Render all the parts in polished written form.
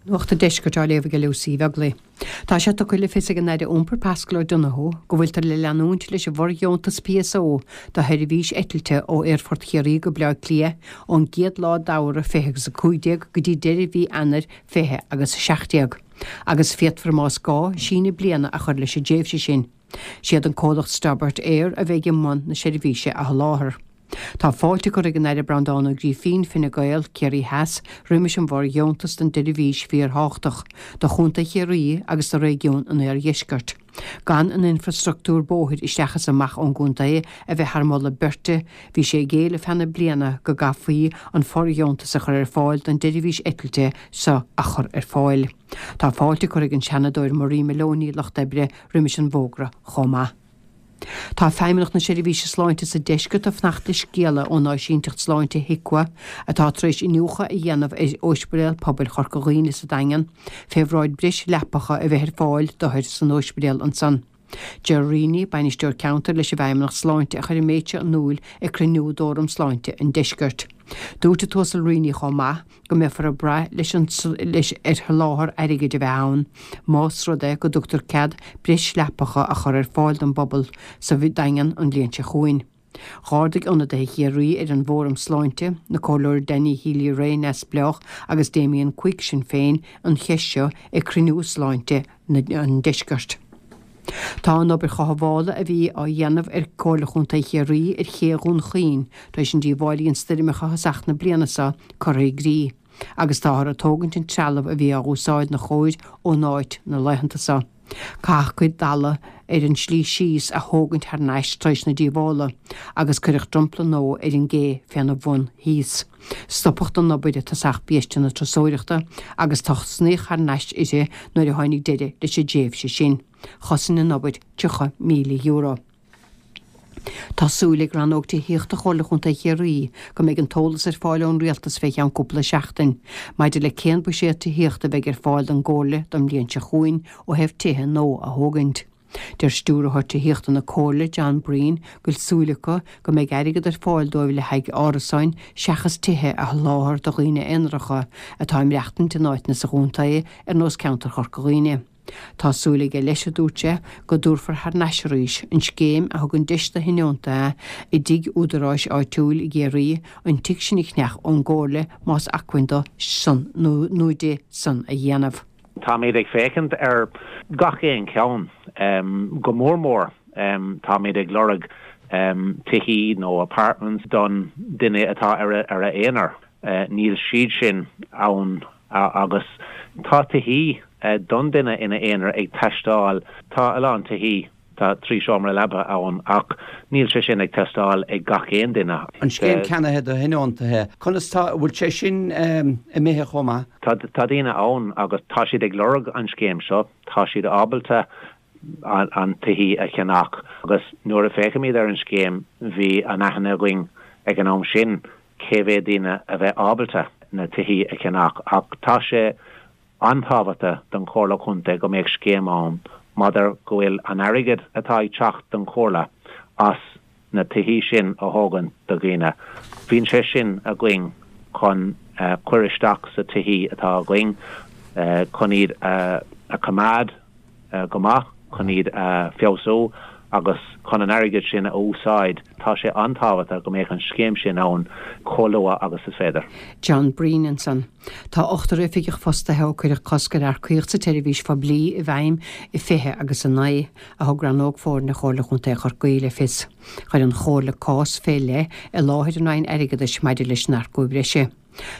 Nuacht an Deiscirt á léamh ag Lucy Uí Bheaglaoi. Tá sé tugtha le fios ag an Aire Iompair Paschal Donohoe go bhfuiltear le leanúint leis an bhfordheontas PSO do sheirbhís eitilte ó Aerfort Chiarraí go Baile Átha Cliath ón gcéad lá d'Fheabhra 20 agus 15 go dtí deireadh mhí Eanáir 20 agus 17, agus féadfar más gá síneadh bliana a chur leis an dtréimhse sin. Siad an comhlacht Stobart Air a bheidh i mbun na seirbhíse a sholáthar. Tá fáilte curtha ag an Aire Breandán Ó Grífín, Fine Gael, Ciarraí Theas, roimis an bhfordheontas don tseirbhís fíorthábhachtach do Chontae Chiarraí agus do réigiún an Oirdheiscirt. Gan an infrastructúr bóthair isteach is amach ón gcontae a bheith thar moladh beirte, bhí sé ag éileamh feadh na bliana go gcaithfí an fordheontas a chur ar fáil don tseirbhís eitilte seo a chur ar fáil. Tá fáilte curtha ag an Seanadóir Marie Moloney, Lucht Oibre, roimis an bhfógra chomh maith. Tá Feidhmeannacht na Seirbhíse Sláinte sa Deisceart ag fanacht le scéala ón áisínteacht sláinte HIQA atá tar éis iniúchadh a dhéanamh ar Ospidéal Pobail Chorca Dhuibhne sa Daingean fé bhráid breis leapacha a bheith ar fáil d'othair san ospidéal ansan. Ger Reaney, Bainisteoir Ceantair leis an bhFeidhmeannacht Sláinte a chuir an méid seo in iúil ag cruinniú d'Fhóram Sláinte an Deiscirt. Dúirt an tUasal Reaney chomh maith, go mbeifear ag brath leis an leis ar sholáthar airgid a bheith ann más rud é go dtugtar cead breis leapacha a chur ar fáil don bpobal sa Daingean an bhliain seo chugainn. Dh'ardaigh ionadaithe Chiarraí ar an bhFóram Sláinte, na Comhairleoirí Danny Healy-Rae, Neamhspleách, agus Damien Quigg, Sinn Féin, an cheist seo ag cruinniú sláinte an Deiscirt. Tá an obair chothabhála a bhí á dhéanamh ag Comhairle Chontae Chiarraí ar ché Dhún Chaoin tar éis an díobháil a dhein stoirmeacha thosach na bliana seo curtha i gcrích agus táthar ag tógaint an trealamh a bhí á úsáid 'na chóir ón áit na laethanta seo. Caitheadh cuid d'fhalla ar an tslí síos a thógaint thar n-ais tar éis na díobhála agus cuireadh dromchla nua ar an gcé féna bhun thíos. Stopadh den obair i tosach biaiste na turasóireachta agus tosnaíodh thar n-ais uirthi nuair a tháinig deireadh leis an dtréimhse sin. Chosain an obair €30,000. Tá súil ag Rannóg Tithíochta Chomhairle Chontae Chiarraí go mbeidh an t-eolas ar fáil ón Rialtas fé cheann cúpla seachtain maidir le cén buiséad tithíochta a bheidh ar fáil don gComhairle don mbliain seo chugainn ó thaobh tithe nua a thógaint. Deir Stiúrthóir Tithíochta na Comhairle, John Breen, go bhfuil súil acu go mbeidh airgead ar fáil dóibh le haghaidh árasáin seachas tithe a sholáthar do dhaoine aonaracha atá ag maireachtaint in áiteanna sa chontae ar nós ceantar Chorca Dhuibhne. Tá súil aige leis, a dúirt sé, go dtabharfar thar n-ais arís an scéim a thugann deis do thionóntaithe i dtigh údaráis áitiúil i gCiarraí an tigh sin a cheannach ón gComhairle más acmhainn dó san nó di san a dhéanamh. Táimid ag féachaint ar gach aon cheann. Go mór mór táimid ag lorg tithí nó apartments don duine atá ar a aonar. Níl siad sin ann agus tá tithí don duine ina aonar ag teastáil. Tá a lán tithí. Tá 3 seomra leaba ann ach níl sé sin ag teastáil ag gach aon duine. An scéim ceannaithe do thionóntaithe, conas tá, an bhfuil sé sin imithe chomh maith? Tá daoine ann agus tá siad ag lorg an scéim seo, tá siad ábalta an tithí a cheannach agus nuair a féachaimid ar an scéim bhí an aithne againn ag an am sin cé mhéad daoine a bheith ábalta na tithí a cheannach ach tá sé an-tábhachtach don Chomhairle Contae go mbeadh scéim ann maidir go bhfuil an airgead atá ag teacht don Chomhairle as na tithí sin a thógaint do dhaoine, bíonn sé sin againn chun cuir isteach sa tithí atá againn chun iad a choimeád. go maith chun iad a feabhsú agus chun an airgead sin a úsáid. Tá sé an-tábhachtach go mbeadh an scéim sin ann chomh luath agus is féidir. John Breen ansan. Tá ochtar oifigeach fostaithe ó cuireadh cosc ar earcaíocht sa tseirbhís phoiblí i bhfeidhm i 20 09, a thug Rannóg Foirne Chomhairle Chontae Chorcaí le fios. Chuir an Chomhairle cás fé leith i láthair an Roinn Airgeadais maidir leis an earcú breise.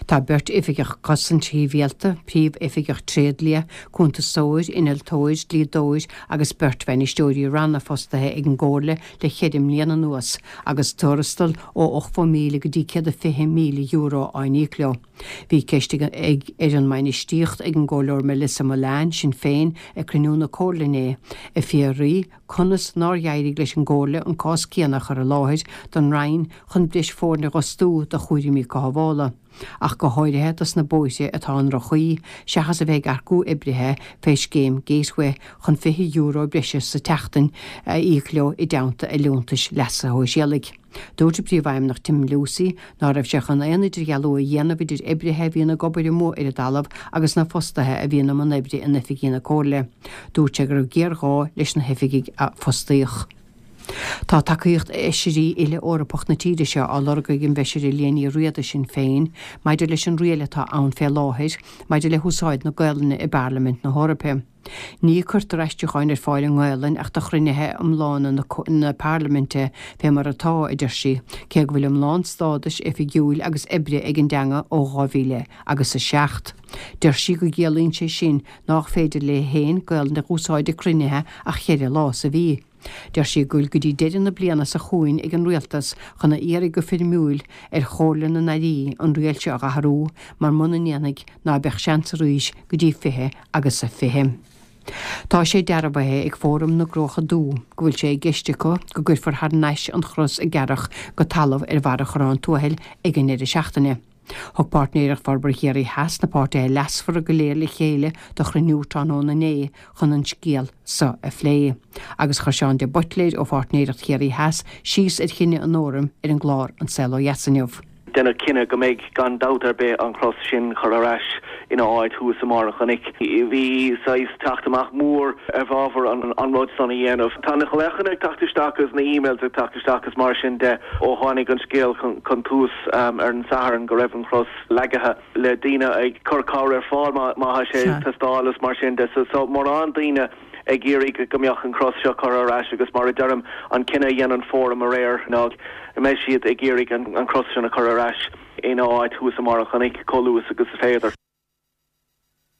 Tá beirt oifigeach cosaint shibhialta, príomhoifigeach tréidlia, cuntasóir, innealtóir, dlíodóir agus beirt bhainisteoirí ranna fostaithe ag an gComhairle le ceithre mbliana anuas agus tuarastal ó €80,000 go dtí €120,000 á n-íoc leo. Bhí ceist ag ar an mbainistíocht ag an gComhairleoir Melissa Mullane, Sinn Féin, ag cruinniú na Comhairle inné, ag fiafraí conas nár éirigh leis an gComhairle an cás céanna a chur i láthair don Roinn chun breis foirne a dh'fhostú do chúraimí cothabhála. ach go háirithe dos na bóithre atá i ndroch-chaoi, seachas a bheith ag earcú oibrithe fé scéim Gateway chun €20 breise sa tseachtain a íoc leo i dteannta a liúntais leasa shóisialaigh. Dúirt an Príomhfheidhmeannach Tim Lucey ná raibh sé chun aon idirdhealú a dhéanamh idir oibrithe a bhíonn ag obair amuigh ar an dtalamh agus na fostaithe a bhíonn i mbun oibre in oifigí na Comhairle. Dúirt sé go raibh géarghá leis na hoifigigh a fostaíodh. Tá tacaíocht fheisirí uile Eorpach na tíre seo á lorg ag an bhFeisire Liadh Ní Riada, Sinn Féin, maidir leis an riail atá ann fé láthair maidir le húsáid na Gaolainne i bParlaimint na hEoraipe. Ní cuirtear aistriúcháin ar fáil i nGaolainn ach do chruinnithe iomlána na Parlaiminte fé mar atá, a deir sí, cé go bhfuil iomlán stádais oifigiúil agus oibre ag an dteanga ó 2000 agus 7. Deir sí go gciallaíonn sé sin nách féidir léi féin Gaolainn a dh'úsáid ag cruinnithe ach cheithre lá sa mhí. Deir sí go bhfuil go dtí deireadh na bliana seo chugainn ag an Rialtas chun a iarraidh go foirmiúil ar Chomhairle na nAirí an riail seo a dh'athrú mar muna ndéanfaidh ná beadh seans arís go dtí 20 agus a 20. Tá sé dearbhaithe ag Fóram na gCruacha Dubha go bhfuil sé i gceist acu go gcuirfear thar n-ais an chros a gearradh go talamh ar bharra Chorrán Tuathail ag an ndeireadh seachtaine. Thug Páirtnéireacht Forbartha Chiarraí Theas na páirtithe leasmhara go léir le chéile do chruinniú tráthnóna inné chun an scéal so a phlé. Agus chuir Seán de Buitléir ó Pháirtnéireacht Chiarraí Theas síos ar chinneadh an Fhóraim ar an gclár An Saol Ó Dheas inniu. Deineadh cinneadh go mbeidh gan dabht ar bith an chros sin curtha ar ais ina áit thuas i mbarr an chnoic. Bhí saghas teacht amach mór i bhfabhar an rud san a dhéanamh. Tá na glaochanna ag teacht isteach agus na emails ag teacht isteach agus mar sin de ó tháinig an scéal chun tús ar an Satharn go raibh an chros leagaithe le daoine ag cur cabhair ar fáil má tá sé ag teastáil is mar sin de. So mórán daoine ag iarraidh go mbeadh an chros seo curtha ar ais agus mar a deirim an cinneadh a dhein an Fóram aréir ná go mbeidh siad ag iarraidh an chros sin a chur ar ais ina áit thuas i mbarr an chnoic chomh luath agus is féidir.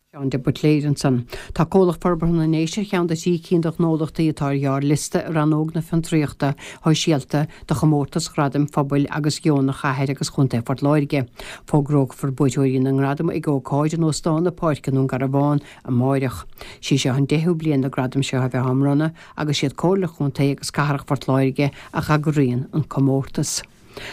Seán de Buitléir ansan. Tá Comhlacht Forbartha na nDéise ar cheann de thrí cinn de ghnólachtaí atá ar ghearrliosta i rannóg na Fiontraíochta Shóisialta do chomórtas Ghradaim Phobail agus Dheonaigh Chathair agus Chontae Phort Láirge. Fógrófar buaiteoirí na ngradam ag ócáid in Óstán na Páirce i nDún Garbhán amáireach. Sí seo an deichiú bliain na gradaim seo a bheith á mbronnadh agus siad Comhairle Chontae agus Cathrach Phort Láirge a dh'eagraíonn an comórtas.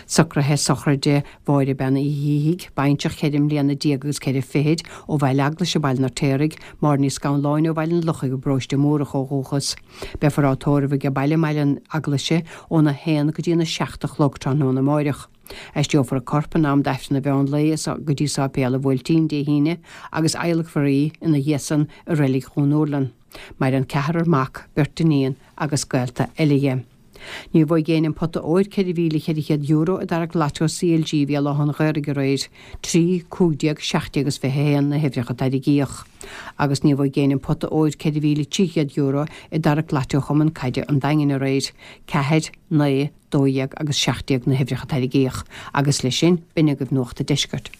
Socruithe sochraide Mháire Bean Uí Shíthigh, baintreach cheithre mbliana déag agus ceithre fichid, ó Bhaile Eaglais i Baile an Fheirtéaraigh, Máire Ní Scanláin ó Bhaile an Lochaigh i bParóiste Múrach ó dhúchas. Beifear á tórramh age baile i mBaile an Eaglais óna haon go dtí an 7 a chlog tráthnóna amáireach. Aistreofar a corp in am d'Aifreann an mheán lae go dtí Sáipéal an Bhuailtín Dé hAoine agus adhlacfar í ina dhiaidh san i Reilig Dhún Úrlann. Maireann ceathrar mac, beirt iníon agus gaolta eile dhi. Ní bhuaigh éinne an pota óir, €4,400, i dtarrac Lotto CLG Bhéal Átha an Ghaorthaidh aréir. 3, 15, 17 agus 21 na huimhreacha a tarraingíodh. Agus ní bhuaigh éinne an pota óir, €4,300, i dtarrac Lotto Chumann Caide an Daingin aréir. 4, 9, 12 agus 17 na huimhreacha a tarraingíodh. Agus leis sin, b'in agaibh Nuacht an Deiscirt.